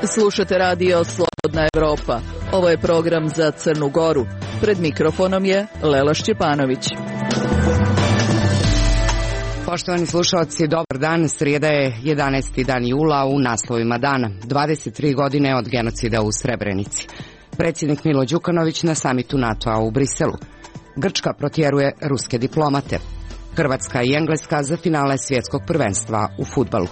Slušate radio Slobodna Evropa. Ovo je program za Crnu Goru. Pred mikrofonom je Lela Šćepanović. Poštovani slušalci, dobar dan. Srijeda je 11. dan jula. U naslovima dana 23 godine od genocida u Srebrenici. Predsjednik Milo Đukanović na samitu NATO-a u Briselu. Grčka protjeruje ruske diplomate. Hrvatska i Engleska za finale svjetskog prvenstva u fudbalu.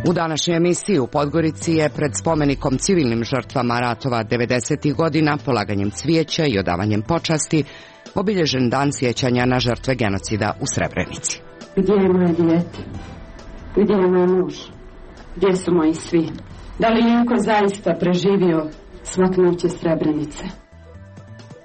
U današnjoj emisiji u Podgorici je pred spomenikom civilnim žrtvama ratova 90. godina, polaganjem cvijeća i odavanjem počasti, obilježen dan sjećanja na žrtve genocida u Srebrenici. Gdje je moje dijete? Gdje je moj muž? Gdje su moji svi? Da li je neko zaista preživio smaknuće Srebrenice?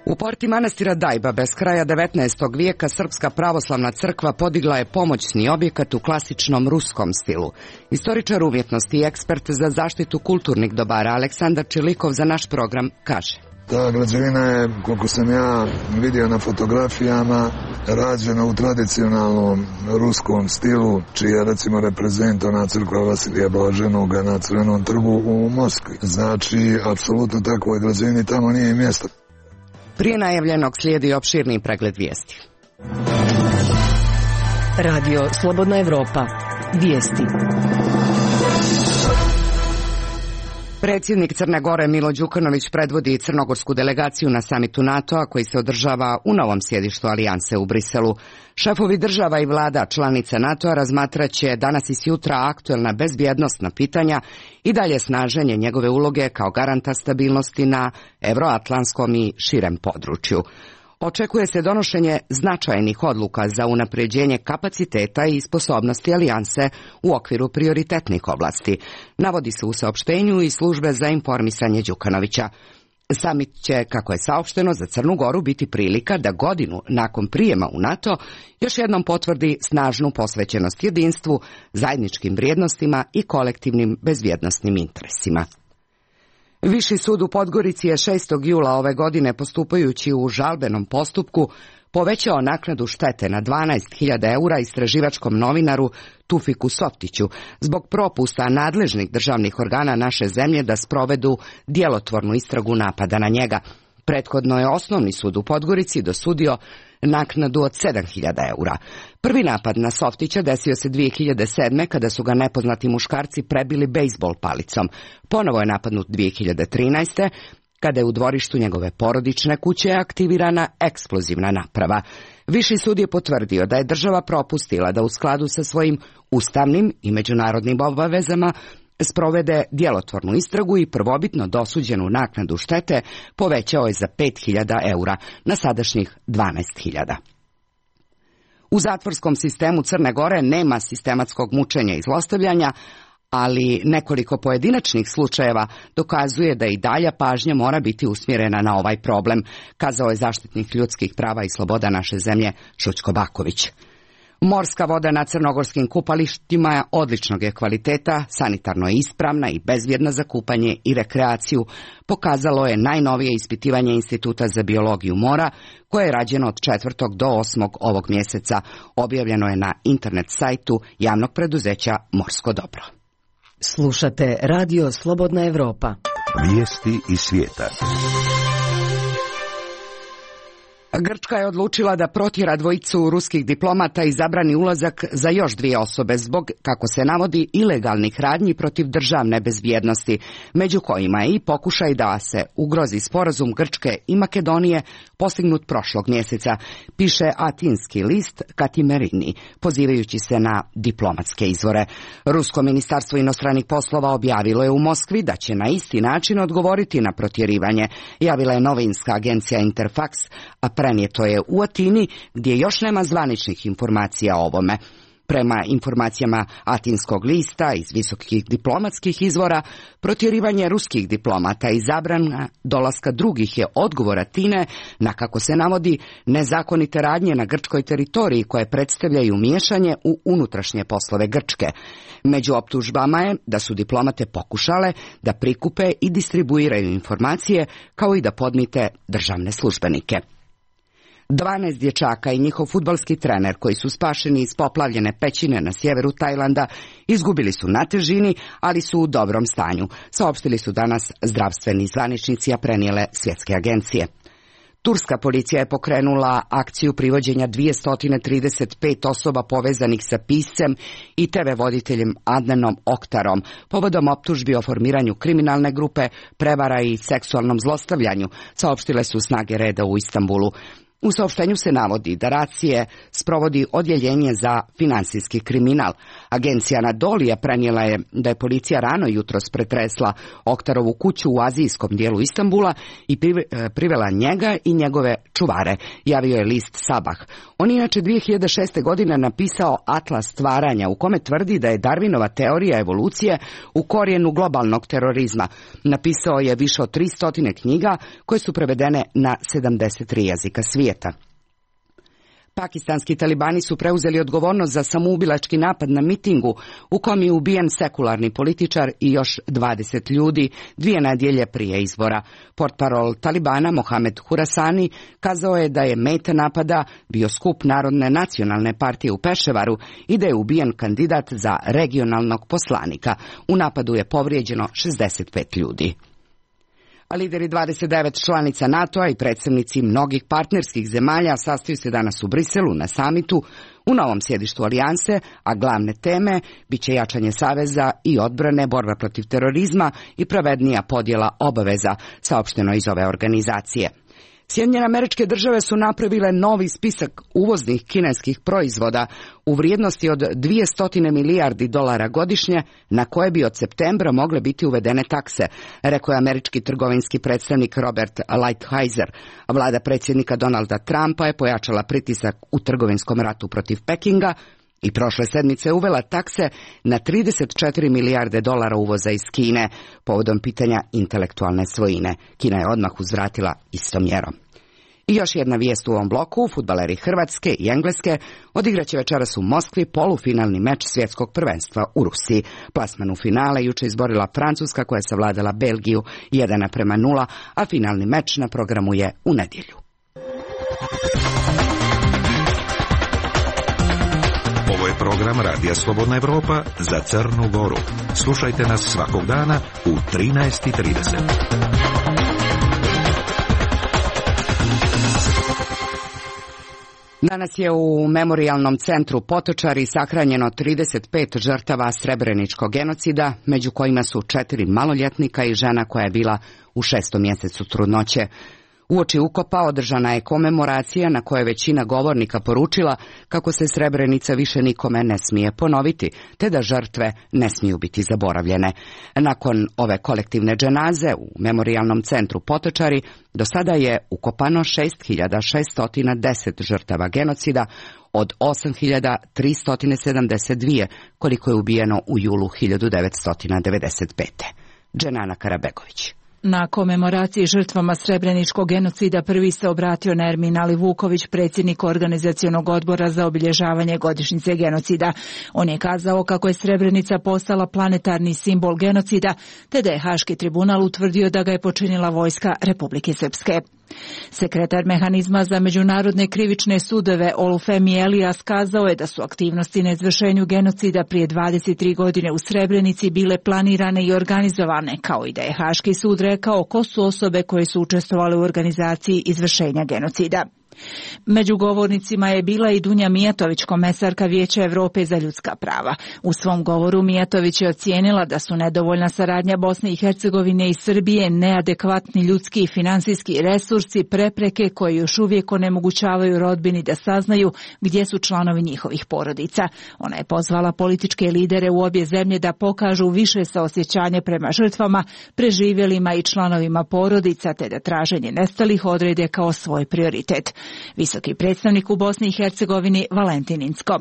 U porti manastira Dajba bez kraja 19. vijeka Srpska pravoslavna crkva podigla je pomoćni objekat u klasičnom ruskom stilu. Istoričar umjetnosti i ekspert za zaštitu kulturnih dobara Aleksandar Čilikov za naš program kaže: Ta građevina je, koliko sam ja vidio na fotografijama, rađena u tradicionalnom ruskom stilu, čiji je recimo reprezent ona crkva Vasilija Blaženoga na Crvenom trgu u Moskvi. Znači, apsolutno takvoj građevini tamo nije mjesto. Prije najavljenog slijedi opširni pregled vijesti. Radio Slobodna Evropa. Vijesti. Predsjednik Crne Gore Milo Đukanović predvodi crnogorsku delegaciju na samitu NATO-a koji se održava u novom sjedištu Alijanse u Briselu. Šefovi država i vlada članica NATO-a razmatraće danas i sutra aktuelna bezbjednosna pitanja i dalje snaženje njegove uloge kao garanta stabilnosti na evroatlantskom i širem području. Očekuje se donošenje značajnih odluka za unapređenje kapaciteta i sposobnosti alijanse u okviru prioritetnih oblasti, navodi se u saopštenju i službe za informisanje Đukanovića. Samit će, kako je saopšteno, za Crnu Goru biti prilika da godinu nakon prijema u NATO još jednom potvrdi snažnu posvećenost jedinstvu, zajedničkim vrijednostima i kolektivnim bezbjednosnim interesima. Viši sud u Podgorici je 6. jula ove godine, postupajući u žalbenom postupku, povećao naknadu štete na 12.000 eura istraživačkom novinaru Tufiku Softiću zbog propusta nadležnih državnih organa naše zemlje da sprovedu djelotvornu istragu napada na njega. Prethodno je Osnovni sud u Podgorici dosudio naknadu od 7.000 eura. Prvi napad na Softića desio se 2007. kada su ga nepoznati muškarci prebili bejsbol palicom. Ponovo je napadnut 2013. kada je u dvorištu njegove porodične kuće aktivirana eksplozivna naprava. Viši sud je potvrdio da je država propustila da u skladu sa svojim ustavnim i međunarodnim obavezama sprovede djelotvornu istragu i prvobitno dosuđenu naknadu štete povećao je za 5.000 eura na sadašnjih 12.000. U zatvorskom sistemu Crne Gore nema sistematskog mučenja i zlostavljanja, ali nekoliko pojedinačnih slučajeva dokazuje da i dalja pažnja mora biti usmjerena na ovaj problem, kazao je zaštitnik ljudskih prava i sloboda naše zemlje Šućko Baković. Morska voda na crnogorskim kupalištima odličnog je kvaliteta, sanitarno je ispravna i bezbjedna za kupanje i rekreaciju, pokazalo je najnovije ispitivanje Instituta za biologiju mora, koje je rađeno od 4. do 8. ovog mjeseca. Objavljeno je na internet sajtu javnog preduzeća Morsko dobro. Slušate radio Slobodna Evropa. Vijesti iz svijeta. Grčka je odlučila da protjera dvojicu ruskih diplomata i zabrani ulazak za još 2 osobe zbog, kako se navodi, ilegalnih radnji protiv državne bezbjednosti, među kojima je i pokušaj da se ugrozi sporazum Grčke i Makedonije postignut prošlog mjeseca, piše atinski list Katimerini, pozivajući se na diplomatske izvore. Rusko ministarstvo inostranih poslova objavilo je u Moskvi da će na isti način odgovoriti na protjerivanje, javila je novinska agencija Interfax, a prenijeto je u Atini, gdje još nema zvaničnih informacija o ovome. Prema informacijama atinskog lista iz visokih diplomatskih izvora, protjerivanje ruskih diplomata i zabrana dolaska drugih je odgovor Atine na, kako se navodi, nezakonite radnje na grčkoj teritoriji koje predstavljaju miješanje u unutrašnje poslove Grčke. Među optužbama je da su diplomate pokušale da prikupe i distribuiraju informacije kao i da podmite državne službenike. 12 dječaka i njihov fudbalski trener koji su spašeni iz poplavljene pećine na sjeveru Tajlanda izgubili su na težini, ali su u dobrom stanju, saopštili su danas zdravstveni zvaničnici, a prenijele svjetske agencije. Turska policija je pokrenula akciju privođenja 235 osoba povezanih sa piscem i TV voditeljem Adnanom Oktarom, povodom optužbi o formiranju kriminalne grupe, prevara i seksualnom zlostavljanju, saopštile su snage reda u Istanbulu. U saopštenju se navodi da racije sprovodi odjeljenje za finansijski kriminal. Agencija Anadolija prenijela je da je policija rano jutros pretresla Oktarovu kuću u azijskom dijelu Istanbula i privela njega i njegove čuvare, javio je list Sabah. On inače 2006. godine napisao Atlas stvaranja u kome tvrdi da je Darwinova teorija evolucije u korijenu globalnog terorizma. Napisao je više od 300 knjiga koje su prevedene na 73 jezika svijeta. Pakistanski talibani su preuzeli odgovornost za samoubilački napad na mitingu u kom je ubijen sekularni političar i još 20 ljudi 2 nedjelje prije izbora. Portparol Talibana Mohamed Hurasani kazao je da je meta napada bio skup Narodne nacionalne partije u Peševaru i da je ubijen kandidat za regionalnog poslanika. U napadu je povrijeđeno 65 ljudi. A lideri 29 članica NATO-a i predstavnici mnogih partnerskih zemalja sastaju se danas u Briselu na samitu u novom sjedištu alijanse, a glavne teme bit će jačanje saveza i odbrane, borba protiv terorizma i pravednija podjela obaveza, saopšteno iz ove organizacije. Sjedinjene Američke Države su napravile novi spisak uvoznih kineskih proizvoda u vrijednosti od 200 milijardi dolara godišnje, na koje bi od septembra mogle biti uvedene takse, rekao je američki trgovinski predstavnik Robert Lighthizer. Vlada predsjednika Donalda Trumpa je pojačala pritisak u trgovinskom ratu protiv Pekinga i prošle sedmice uvela takse na 34 milijarde dolara uvoza iz Kine, povodom pitanja intelektualne svojine. Kina je odmah uzvratila istom mjerom. I još jedna vijest u ovom bloku, fudbaleri Hrvatske i Engleske odigraće večeras u Moskvi polufinalni meč svjetskog prvenstva u Rusiji. Plasman u finale juče izborila Francuska koja je savladala Belgiju 1:0, a finalni meč na programu je u nedjelju. Ovo je program Radija Slobodna Evropa za Crnu Goru. Slušajte nas svakog dana u 13:30. Danas je u Memorijalnom centru Potočari sahranjeno 35 žrtava srebreničkog genocida, među kojima su 4 maloljetnika i žena koja je bila u 6. mjesecu trudnoće. Uoči ukopa održana je komemoracija na kojoj većina govornika poručila kako se Srebrenica više nikome ne smije ponoviti, te da žrtve ne smiju biti zaboravljene. Nakon ove kolektivne dženaze u Memorijalnom centru Potočari do sada je ukopano 6610 žrtava genocida od 8372 koliko je ubijeno u julu 1995. Dženana Karabegović. Na komemoraciji žrtvama srebreničkog genocida prvi se obratio Nermin Alivuković, predsjednik organizacionog odbora za obilježavanje godišnjice genocida. On je kazao kako je Srebrenica postala planetarni simbol genocida, te da je Haški tribunal utvrdio da ga je počinila vojska Republike Srpske. Sekretar mehanizma za međunarodne krivične sudove Olufemi Elias kazao je da su aktivnosti na izvršenju genocida prije 23 godine u Srebrenici bile planirane i organizovane, kao i da je Haški sud rekao ko su osobe koje su učestvovale u organizaciji izvršenja genocida. Među govornicima je bila i Dunja Mijatović, komesarka Vijeća Europe za ljudska prava. U svom govoru Mijatović je ocijenila da su nedovoljna saradnja Bosne i Hercegovine i Srbije, neadekvatni ljudski i finansijski resursi, prepreke koje još uvijek onemogućavaju rodbini da saznaju gdje su članovi njihovih porodica. Ona je pozvala političke lidere u obje zemlje da pokažu više saosjećanje prema žrtvama, preživjelima i članovima porodica, te da traženje nestalih odrede kao svoj prioritet. Visoki predstavnik u Bosni i Hercegovini Valentin Incko.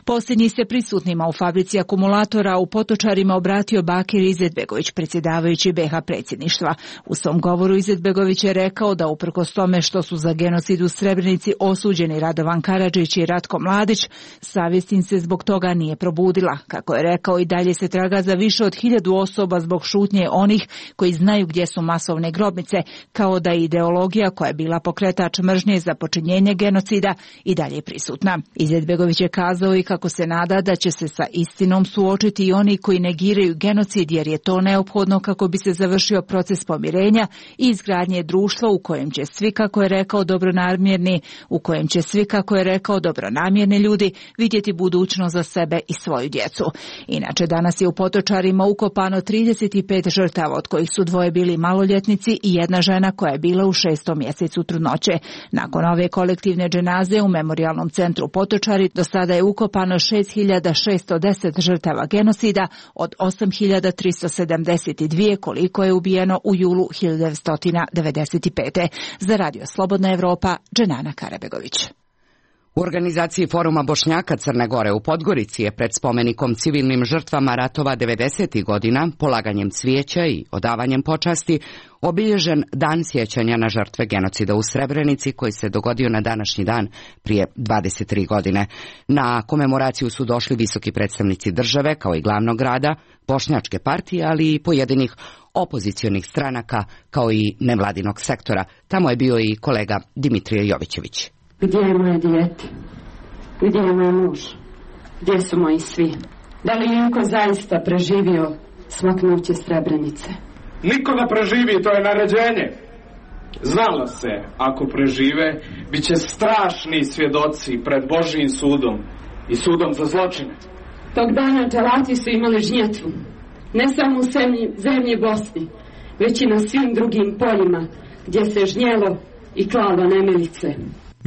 Posljednji se prisutnima u fabrici akumulatora u Potočarima obratio Bakir Izetbegović, predsjedavajući BiH predsjedništva. U svom govoru Izetbegović je rekao da uprkos tome što su za genocid u Srebrenici osuđeni Radovan Karadžić i Ratko Mladić, savjest im se zbog toga nije probudila. Kako je rekao, i dalje se traga za više od 1000 osoba zbog šutnje onih koji znaju gdje su masovne grobnice, kao da je ideologija koja je bila pokretač mržnje za za počinjenje genocida i dalje prisutna. Izetbegović je kazao i kako se nada da će se sa istinom suočiti i oni koji negiraju genocid, jer je to neophodno kako bi se završio proces pomirenja i izgradnje društva u kojem će svi, kako je rekao, dobronamjerni ljudi vidjeti budućnost za sebe i svoju djecu. Inače, danas je u Potočarima ukopano 35 žrtava, od kojih su 2 bili maloljetnici i 1 žena koja je bila u 6. mjesecu trudnoće. Nakon ove kolektivne dženaze u Memorijalnom centru Potočari do sada je ukopano 6.610 žrtava genocida od 8.372 koliko je ubijeno u julu 1995. Za Radio Slobodna Evropa, Dženana Karabegović. U organizaciji Foruma Bošnjaka Crne Gore u Podgorici je pred spomenikom civilnim žrtvama ratova 90. godina, polaganjem cvijeća i odavanjem počasti, obilježen dan sjećanja na žrtve genocida u Srebrenici koji se dogodio na današnji dan prije 23 godine. Na komemoraciju su došli visoki predstavnici države kao i glavnog grada, bošnjačke partije, ali i pojedinih opozicionih stranaka kao i nevladinog sektora. Tamo je bio i kolega Dimitrije Jovićević. Gdje je moje dijete? Gdje je moj muž? Gdje su moji svi? Da li je neko zaista preživio smaknuće Srebrenice? Niko ne preživi, to je naređenje. Znalo se, ako prežive, bit će strašni svjedoci pred Božjim sudom i sudom za zločine. Tog dana dželati su imali žnjetvu. Ne samo u zemlji Bosni, već i na svim drugim poljima gdje se žnjelo i klalo nemilice.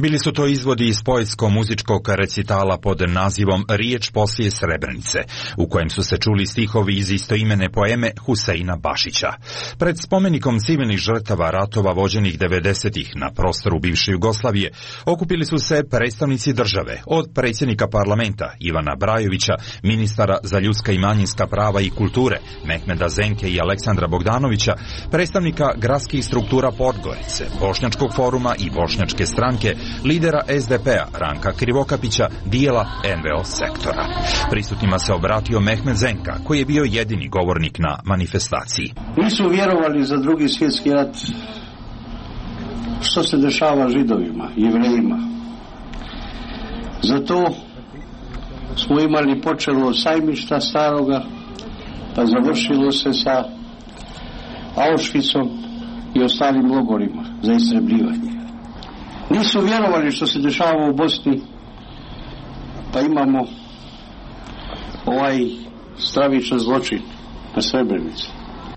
Bili su to izvodi iz poetsko-muzičkog recitala pod nazivom Riječ poslije Srebrenice, u kojem su se čuli stihovi iz istoimene poeme Huseina Bašića. Pred spomenikom civilnih žrtava ratova vođenih 90-ih na prostoru bivše Jugoslavije okupili su se predstavnici države, od predsjednika parlamenta Ivana Brajovića, ministara za ljudska i manjinska prava i kulture Mehmeda Zenke i Aleksandra Bogdanovića, predstavnika gradskih struktura Podgorice, Bošnjačkog foruma i Bošnjačke stranke, lidera SDP-a Ranka Krivokapića, dijela NVO sektora. Prisutnima se obratio Mehmed Zenka, koji je bio jedini govornik na manifestaciji. Nisu vjerovali za Drugi svjetski rat što se dešava Židovima, Jevrejima. Zato smo imali počelo od Sajmišta staroga, pa završilo se sa Auschwitzom i ostalim logorima za istrebljivanje. Nisu vjerovali što se dešava u Bosni, pa imamo ovaj stravičan zločin na Srebrenici.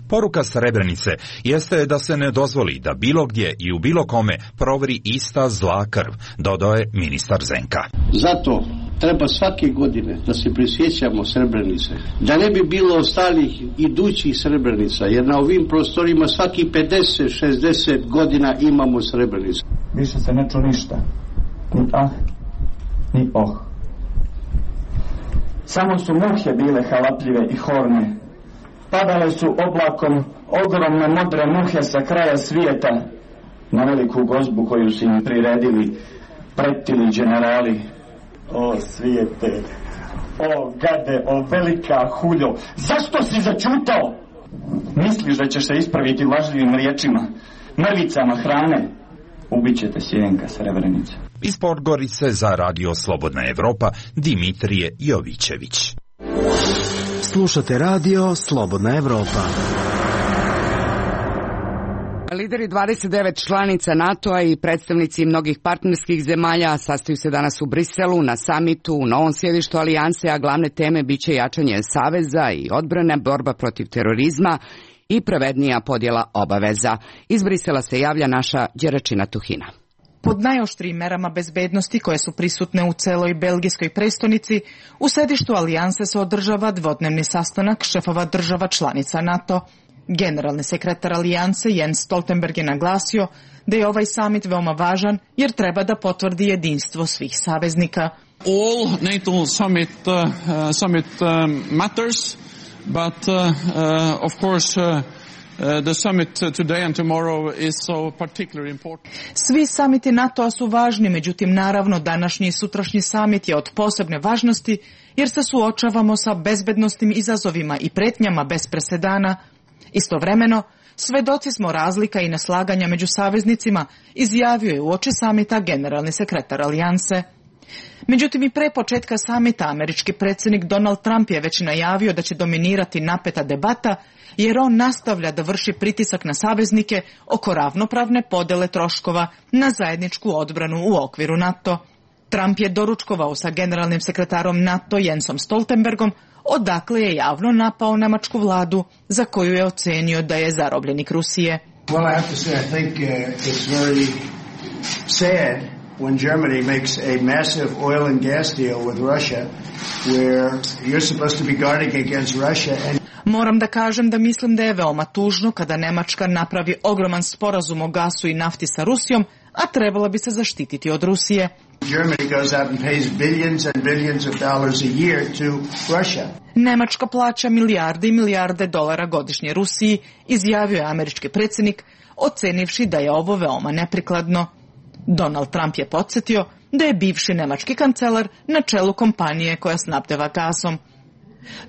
Poruka Srebrenice jeste da se ne dozvoli da bilo gdje i u bilo kome provri ista zla krv, dodao je ministar Zenka. Zato treba svake godine da se prisjećamo Srebrenice, da ne bi bilo ostalih idućih Srebrenica, jer na ovim prostorima svaki 50-60 godina imamo Srebrenicu. Više se ne ču ništa, ni ah, ni oh. Samo su muhe bile halapljive i horne. Padale su oblakom ogromne modre muhe sa kraja svijeta na veliku gozbu koju su im priredili pretili generali. O svijete, o gade, o velika huljo, zašto si začutao? Misliš da ćeš se ispraviti lažljivim riječima, mrvicama hrane? Ubićete sjenka Srebrenice. Iz Podgorice za Radio Slobodna Evropa, Dimitrije Jovićević. Slušate Radio Slobodna Evropa. Lideri 29 članica NATO-a i predstavnici mnogih partnerskih zemalja sastaju se danas u Briselu na samitu u novom sjedištu Alijanse, a glavne teme biće jačanje saveza i odbrane, borba protiv terorizma i pravednija podjela obaveza. Iz Brisela se javlja naša Đeračina Tuhina. Pod najoštrijim merama bezbednosti koje su prisutne u celoj belgijskoj prestonici, u sedištu Alijanse se održava dvodnevni sastanak šefova država članica NATO. Generalni sekretar Alijanse Jens Stoltenberg je naglasio da je ovaj samit veoma važan jer treba da potvrdi jedinstvo svih saveznika. All NATO summit matters, but of course the summit today and tomorrow is so particularly important. Svi samiti NATO-a su važni, međutim naravno današnji i sutrašnji samit je od posebne važnosti jer se suočavamo sa bezbednosnim izazovima i pretnjama bez presedana. Istovremeno, svedoci smo razlika i neslaganja među saveznicima, izjavio je uoči samita generalni sekretar alijanse. Međutim, i pre početka samita američki predsjednik Donald Trump je već najavio da će dominirati napeta debata, jer on nastavlja da vrši pritisak na saveznike oko ravnopravne podele troškova na zajedničku odbranu u okviru NATO. Trump je doručkovao sa generalnim sekretarom NATO Jensom Stoltenbergom, odakle je javno napao nemačku vladu, za koju je ocenio da je zarobljenik Rusije. Well, I have to say, I think it's very sad when Germany makes a massive oil and gas deal with Russia, where you're supposed to be guarding against Russia and Moram da kažem da mislim da je veoma tužno kada Nemačka napravi ogroman sporazum o gasu i nafti sa Rusijom, a trebala bi se zaštititi od Rusije. Germany goes out and pays billions and billions of dollars a year to Russia. Nemačka plaća milijarde i milijarde dolara godišnje Rusiji, izjavio je američki predsjednik, ocenivši da je ovo veoma neprikladno. Donald Trump je podsjetio da je bivši nemački kancelar na čelu kompanije koja snabdeva gasom.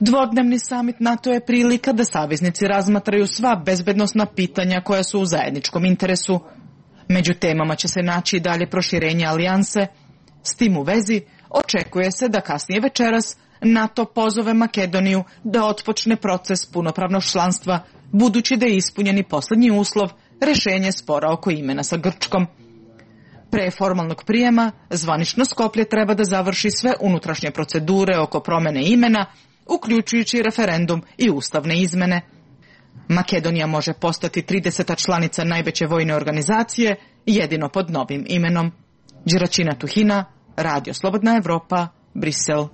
Dvodnevni samit NATO je prilika da saveznici razmatraju sva bezbednosna pitanja koja su u zajedničkom interesu. Među temama će se naći i dalje proširenje alijanse. S tim u vezi očekuje se da kasnije večeras NATO pozove Makedoniju da otpočne proces punopravnog članstva, budući da je ispunjen i posljednji uslov, rješenje spora oko imena sa Grčkom. Pre formalnog prijema, zvanično Skoplje treba da završi sve unutrašnje procedure oko promjene imena, uključujući referendum i ustavne izmene. Makedonija može postati 30. članica najveće vojne organizacije, jedino pod novim imenom. Đeračina Tuhina, Radio Slobodna Evropa, Brisel.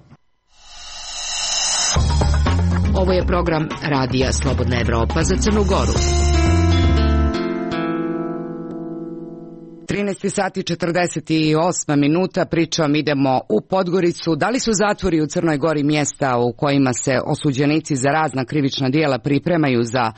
Ovo je program Radija Slobodna Evropa za Crnu Goru. 13 sati 48 minuta, pričom idemo u Podgoricu. Da li su zatvori u Crnoj Gori mjesta u kojima se osuđenici za razna krivična djela pripremaju za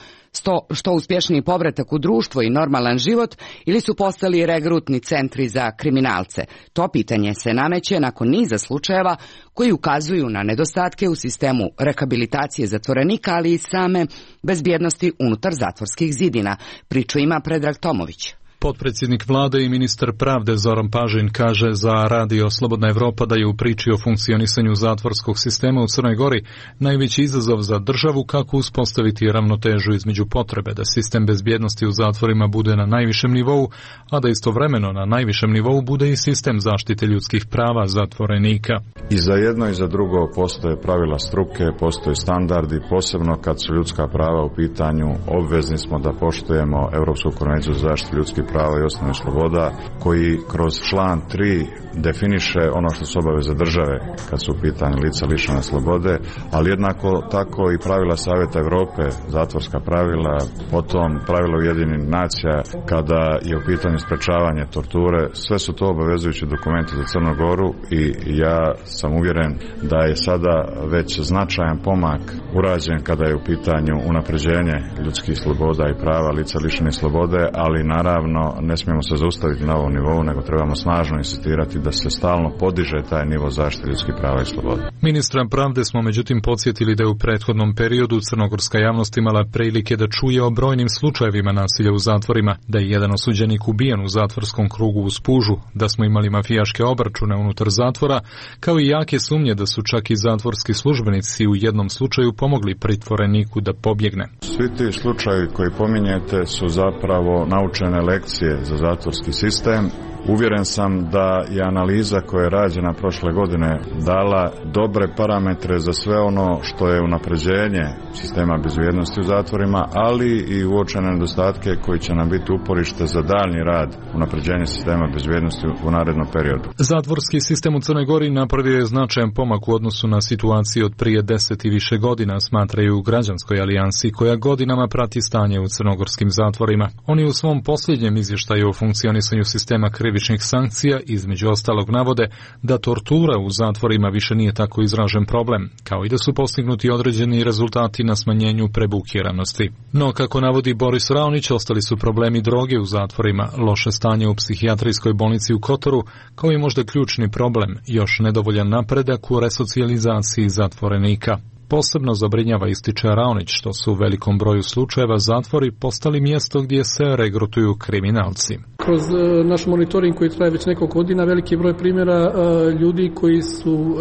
što uspješniji povratak u društvo i normalan život, ili su postali regrutni centri za kriminalce? To pitanje se nameće nakon niza slučajeva koji ukazuju na nedostatke u sistemu rehabilitacije zatvorenika, ali i same bezbjednosti unutar zatvorskih zidina. Priču ima Predrag Tomović. Potpredsjednik vlade i ministar pravde Zoran Pažin kaže za Radio Slobodna Evropa da je u priči o funkcionisanju zatvorskog sistema u Crnoj Gori najveći izazov za državu kako uspostaviti ravnotežu između potrebe da sistem bezbjednosti u zatvorima bude na najvišem nivou, a da istovremeno na najvišem nivou bude i sistem zaštite ljudskih prava zatvorenika. I za jedno i za drugo postoje pravila struke, postoje standardi, posebno kad su ljudska prava u pitanju, obvezni smo da poštujemo Europsku konvenciju za zaštitu ljudskih prava i osnovnih sloboda, koji kroz član 3 definiše ono što su obaveze države kad su u pitanju lica lišena slobode, ali jednako tako i pravila Savjeta Europe, zatvorska pravila, potom pravila Ujedinjenih nacija kada je u pitanju sprečavanje torture. Sve su to obavezujući dokumenti za Crnu Goru i ja sam uvjeren da je sada već značajan pomak urađen kada je u pitanju unapređenje ljudskih sloboda i prava lica lišenih slobode, ali naravno ne smijemo se zaustaviti na ovom nivou, nego trebamo snažno insistirati da se stalno podiže taj nivo zaštite ljudskih prava i sloboda. Ministra pravde smo međutim podsjetili da je u prethodnom periodu crnogorska javnost imala prilike da čuje o brojnim slučajevima nasilja u zatvorima, da je jedan osuđenik ubijen u zatvorskom krugu u Spužu, da smo imali mafijaške obračune unutar zatvora, kao i jake sumnje da su čak i zatvorski službenici u jednom slučaju pomogli pritvoreniku da pobjegne. Svi ti slučajevi koji pominjete su zapravo naučene lekcije za zatvorski sistem. Uvjeren sam da je analiza koja je rađena prošle godine dala dobre parametre za sve ono što je unapređenje sistema bezbjednosti u zatvorima, ali i uočene nedostatke koji će nam biti uporište za daljnji rad unapređenja sistema bezbjednosti u narednom periodu. Zatvorski sistem u Crnoj Gori napravio je značajan pomak u odnosu na situaciju od prije 10 i više godina, smatraju u Građanskoj alijansi koja godinama prati stanje u crnogorskim zatvorima. Oni u svom posljednjem izvještaju o funkcionisanju sistema krivičnih sankcija između ostalog navode da tortura u zatvorima više nije tako izražen problem, kao i da su postignuti određeni rezultati na smanjenju prebukiranosti. No, kako navodi Boris Raonić, ostali su problemi droge u zatvorima, loše stanje u psihijatrijskoj bolnici u Kotoru, kao i možda ključni problem, još nedovoljan napredak u resocijalizaciji zatvorenika. Posebno zabrinjava, ističe Raonić, što su u velikom broju slučajeva zatvori postali mjesto gdje se regrutuju kriminalci. Kroz naš monitoring koji traje već nekoliko godina, veliki broj primjera ljudi koji su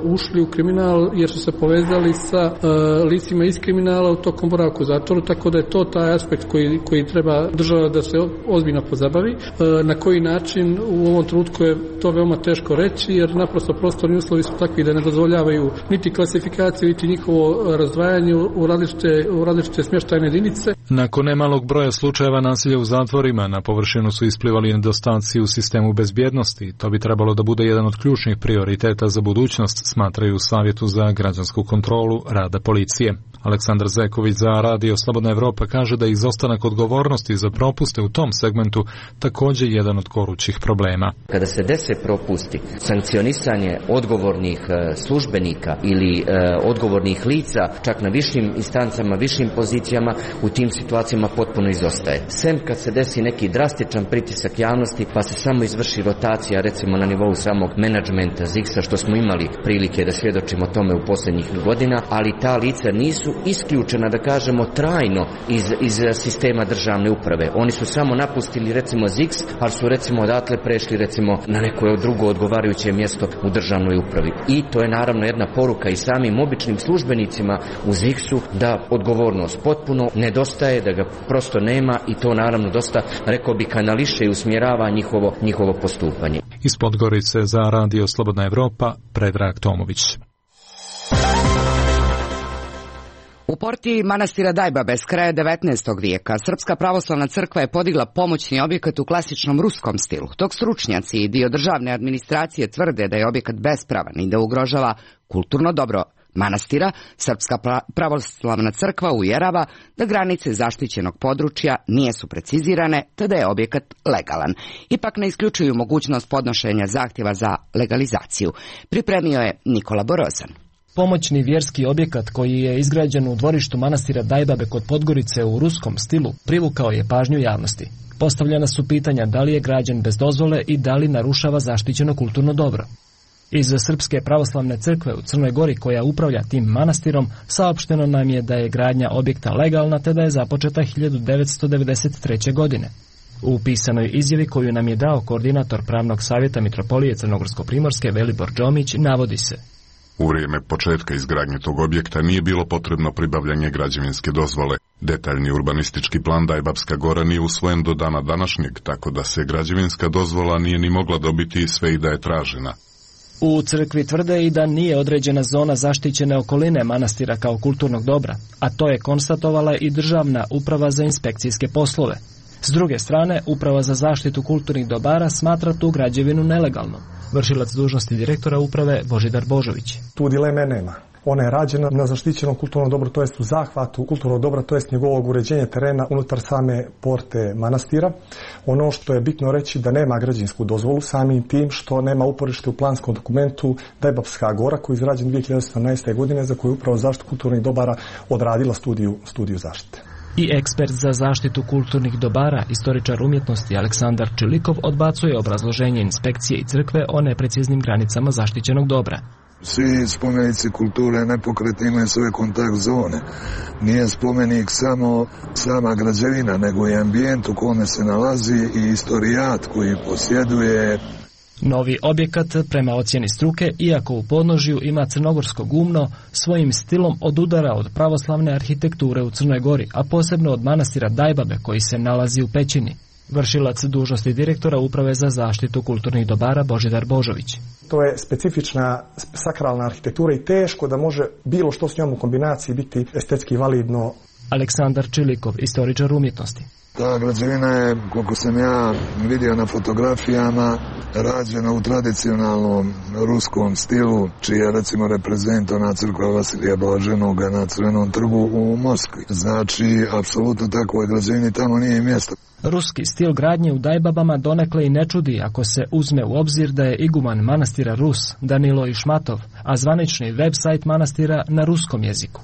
ušli u kriminal jer su se povezali sa licima iz kriminala u tokom boravka u zatvoru, tako da je to taj aspekt koji treba država da se ozbiljno pozabavi. Na koji način u ovom trenutku je to veoma teško reći, jer naprosto prostorni uslovi su takvi da ne dozvoljavaju niti klasifikaciju, niti njihovo razdvajanje u različite smještajne jedinice. Nakon nemalog broja slučajeva nasilja u zatvorima, na površinu su isplivali nedostaci u sistemu bezbjednosti. To bi trebalo da bude jedan od ključnih prioriteta za budućnost, smatraju u Savjetu za građansku kontrolu rada policije. Aleksandar Zeković za Radio Slobodna Evropa kaže da je izostanak odgovornosti za propuste u tom segmentu također jedan od gorućih problema. Kada se dese propusti, sankcionisanje odgovornih službenika ili odgovornih lica, čak na višim instancama, višim pozicijama, u tim situacijama potpuno izostaje. Sem kad se desi neki drastičan pritisak javnosti, pa se samo izvrši rotacija, recimo na nivou samog menadžmenta ZIX-a, što smo imali prilike da svjedočimo tome u posljednjih godina, ali ta lica nisu isključena, da kažemo, trajno iz sistema državne uprave. Oni su samo napustili, recimo, ZIX, ali su, recimo, odatle prešli, recimo, na neko drugo odgovarajuće mjesto u državnoj upravi. I to je naravno jedna poruka i samim običnim službenicima u ZIX-u da odgovornost potpuno nedostaje, da ga prosto nema i to naravno dosta, rekao bi, kanališe i usmjerava njihovo postupanje. Iz Podgorice za Radio Slobodna Evropa, Predrag Tomović. U porti manastira Dajbabe s kraja 19. vijeka Srpska pravoslavna crkva je podigla pomoćni objekat u klasičnom ruskom stilu, dok stručnjaci i dio državne administracije tvrde da je objekat bespravan i da ugrožava kulturno dobro manastira. Srpska pravoslavna crkva uvjerava da granice zaštićenog područja nisu precizirane te da je objekat legalan. Ipak ne isključuju mogućnost podnošenja zahtjeva za legalizaciju. Pripremio je Nikola Borozan. Pomoćni vjerski objekat koji je izgrađen u dvorištu manastira Dajbabe kod Podgorice u ruskom stilu privukao je pažnju javnosti. Postavljena su pitanja da li je građen bez dozvole i da li narušava zaštićeno kulturno dobro. Iz Srpske pravoslavne crkve u Crnoj Gori, koja upravlja tim manastirom, saopšteno nam je da je gradnja objekta legalna te da je započeta 1993. godine. U pisanoj izjavi koju nam je dao koordinator pravnog savjeta Mitropolije Crnogorsko-Primorske Velibor Džomić navodi se: U vrijeme početka izgradnje tog objekta nije bilo potrebno pribavljanje građevinske dozvole. Detaljni urbanistički plan Dajbabska gora nije usvojen do dana današnjeg, tako da se građevinska dozvola nije ni mogla dobiti sve i da je tražena. U crkvi tvrde i da nije određena zona zaštićene okoline manastira kao kulturnog dobra, a to je konstatovala i Državna uprava za inspekcijske poslove. S druge strane, Uprava za zaštitu kulturnih dobara smatra tu građevinu nelegalnom. Vršilac dužnosti direktora uprave Božidar Božović. Tu dileme nema. Ona je rađena na zaštićenom kulturnom dobru, to jest u zahvatu kulturnog dobra, to jest njegovog uređenja terena unutar same porte manastira. Ono što je bitno reći da nema građevinsku dozvolu, samim tim što nema uporište u planskom dokumentu Dajbabska gora koji je izrađen 2018. godine za koju Uprava za zaštitu kulturnih dobara odradila studiju zaštite. I ekspert za zaštitu kulturnih dobara, istoričar umjetnosti Aleksandar Čilikov odbacuje obrazloženje inspekcije i crkve o nepreciznim granicama zaštićenog dobra. Svi spomenici kulture nepokretni imaju svoje kontakt zone. Nije spomenik samo sama građevina, nego i ambijent u kome se nalazi i istorijat koji posjeduje. Novi objekat, prema ocjeni struke, iako u podnožju ima crnogorsko gumno, svojim stilom odudara od pravoslavne arhitekture u Crnoj Gori, a posebno od manastira Dajbabe koji se nalazi u pećini. Vršilac dužnosti direktora Uprave za zaštitu kulturnih dobara Božidar Božović. To je specifična sakralna arhitektura i teško da može bilo što s njom u kombinaciji biti estetski validno. Aleksandar Čilikov, istoričar umjetnosti. Ta građevina je, koliko sam ja vidio na fotografijama, rađena u tradicionalnom ruskom stilu, čiji je recimo reprezentovana crkva Vasilija Blaženog na Crvenom trgu u Moskvi. Znači, apsolutno takvoj građevini tamo nije mjesto. Ruski stil gradnje u Dajbabama donekle i ne čudi ako se uzme u obzir da je iguman manastira Rus, Danilo Išmatov, a zvanični web-sajt manastira na ruskom jeziku.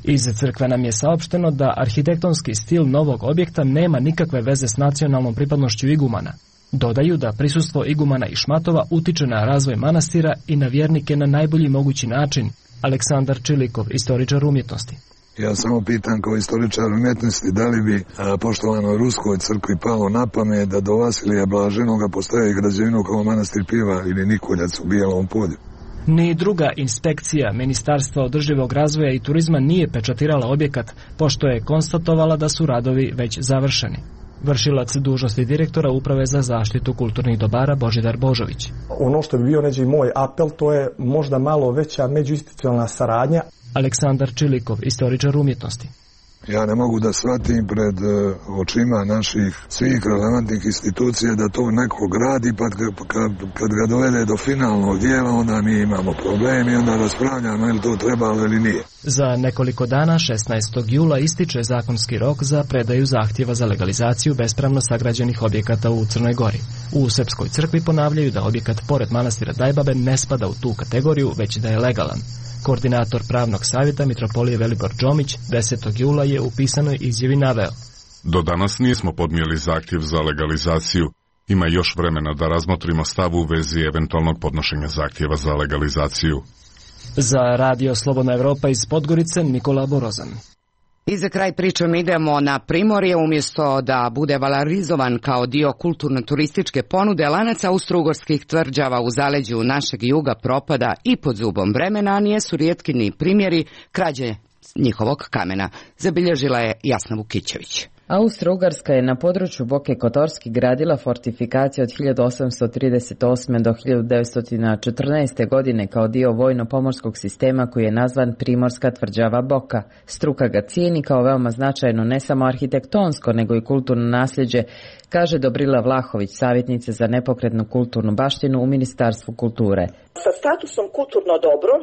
Iz crkve nam je saopšteno da arhitektonski stil novog objekta nema nikakve veze s nacionalnom pripadnošću igumana. Dodaju da prisustvo igumana Išmatova utiče na razvoj manastira i na vjernike na najbolji mogući način, Aleksandar Čilikov, istoričar umjetnosti. Ja samo pitam kao istoričar umjetnosti da li bi poštovanoj Ruskoj crkvi palo na pamet da do Vasilija Blaženoga postaje građevinu kao manastir Piva ili Nikoljac u Bijelom polju. Ni druga inspekcija Ministarstva održivog razvoja i turizma nije pečatirala objekat, pošto je konstatovala da su radovi već završeni. Vršilac dužnosti direktora Uprave za zaštitu kulturnih dobara Božidar Božović. Ono što bi bio neđe i moj apel, to je možda malo veća međuinstitucionalna saradnja. Aleksandar Čilikov, istoričar umjetnosti. Ja ne mogu da shvatim pred očima naših svih relevantnih institucija da to neko gradi, pa kad ga dovede do finalnog dijela, onda mi imamo problem i onda raspravljamo je li to trebalo ili nije. Za nekoliko dana, 16. jula, ističe zakonski rok za predaju zahtjeva za legalizaciju bespravno sagrađenih objekata u Crnoj Gori. U Srpskoj crkvi ponavljaju da objekat pored manastira Dajbabe ne spada u tu kategoriju, već da je legalan. Koordinator pravnog savjeta Mitropolije Velibor Džomić 10. jula je u pisanoj izjavi naveo: Do danas nismo podnijeli zahtjev za legalizaciju. Ima još vremena da razmotrimo stav u vezi eventualnog podnošenja zahtjeva za legalizaciju. Za Radio Slobodna Evropa iz Podgorice, Nikola Borozan. I za kraj pričom idemo na Primorje. Umjesto da bude valorizovan kao dio kulturno-turističke ponude, lanac austro-ugarskih tvrđava u zaleđu našeg juga propada i pod zubom vremena, a nijesu rijetki ni primjeri krađe njihovog kamena. Zabilježila je Jasna Vukićević. Austro-Ugarska je na području Boke Kotorski gradila fortifikacije od 1838. do 1914. godine kao dio vojno-pomorskog sistema koji je nazvan Primorska tvrđava Boka. Struka ga cijeni kao veoma značajno ne samo arhitektonsko nego i kulturno nasljeđe, kaže Dobrila Vlahović, savjetnica za nepokretnu kulturnu baštinu u Ministarstvu kulture. Sa statusom kulturno dobro,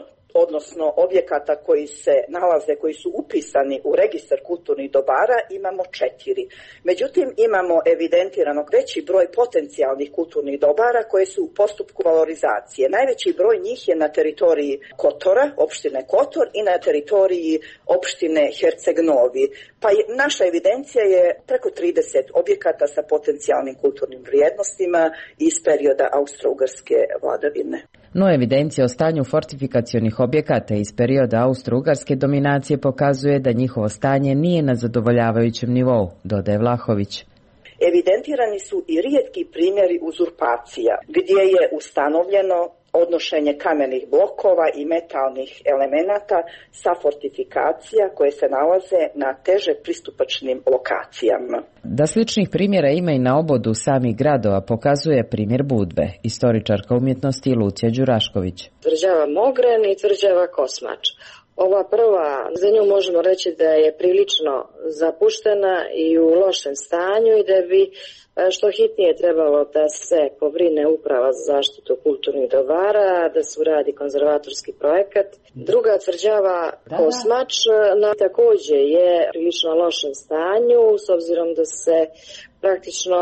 odnosno objekata koji se nalaze, koji su upisani u registar kulturnih dobara, imamo 4. Međutim, imamo evidentirano veći broj potencijalnih kulturnih dobara koje su u postupku valorizacije. Najveći broj njih je na teritoriji Kotora, opštine Kotor, i na teritoriji opštine Herceg Novi. Pa naša evidencija je preko 30 objekata sa potencijalnim kulturnim vrijednostima iz perioda austro-ugarske vladavine. No evidencija o stanju fortifikacionih objekata iz perioda austro-ugarske dominacije pokazuje da njihovo stanje nije na zadovoljavajućem nivou, dodaje Vlahović. Evidentirani su i rijetki primjeri uzurpacija, gdje je ustanovljeno odnošenje kamenih blokova i metalnih elemenata sa fortifikacija koje se nalaze na teže pristupačnim lokacijama. Da sličnih primjera ima i na obodu samih gradova pokazuje primjer Budve, istoričarka umjetnosti Lucija Đurašković. Tvrđava Mogren i tvrđava Kosmač. Ova prva, za nju možemo reći da je prilično zapuštena i u lošem stanju i da bi što hitnije trebalo da se pobrine Uprava za zaštitu kulturnih dobara, da se uradi konzervatorski projekat. Druga tvrđava Kosmač također je prilično lošem stanju, s obzirom da se praktično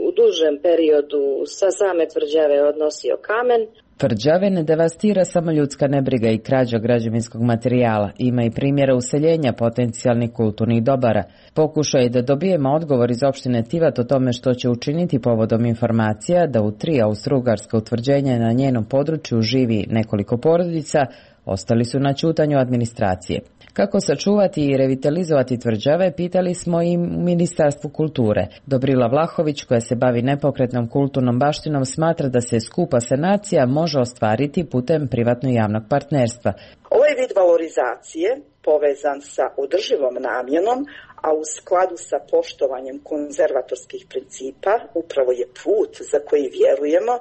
u dužem periodu sa same tvrđave odnosio kamen. Tvrđave ne devastira samo ljudska nebriga i krađa građevinskog materijala. Ima i primjera useljenja potencijalnih kulturnih dobara. Pokušao je da dobijemo odgovor iz opštine Tivat o tome što će učiniti povodom informacija da u 3 austro-ugarska utvrđenja na njenom području živi nekoliko porodica, ostali su na ćutanju administracije. Kako sačuvati i revitalizovati tvrđave, pitali smo i Ministarstvu kulture. Dobrila Vlahović, koja se bavi nepokretnom kulturnom baštinom, smatra da se skupa sanacija može ostvariti putem privatno-javnog partnerstva. Ovaj vid valorizacije, povezan sa održivom namjenom, a u skladu sa poštovanjem konzervatorskih principa, upravo je put za koji vjerujemo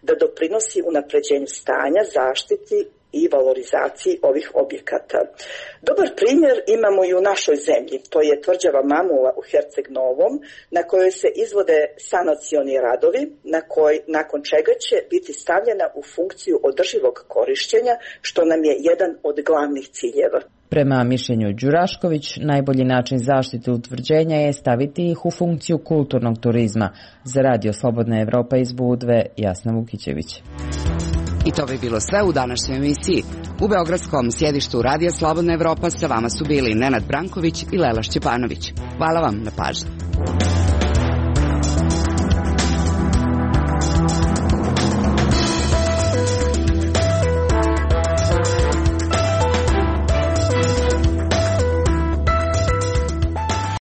da doprinosi unapređenju stanja, zaštiti i valorizaciji ovih objekata. Dobar primjer imamo i u našoj zemlji, to je tvrđava Mamula u Herceg Novom, na kojoj se izvode sanacioni radovi, nakon čega će biti stavljena u funkciju održivog korištenja, što nam je jedan od glavnih ciljeva. Prema mišljenju Đurašković, najbolji način zaštite utvrđenja je staviti ih u funkciju kulturnog turizma. Za Radio Slobodna Evropa iz Budve, Jasna Vukićević. I to bi bilo sve u današnjoj emisiji. U beogradskom sjedištu Radija Slobodna Evropa sa vama su bili Nenad Branković i Lela Šćepanović. Hvala vam na pažnji.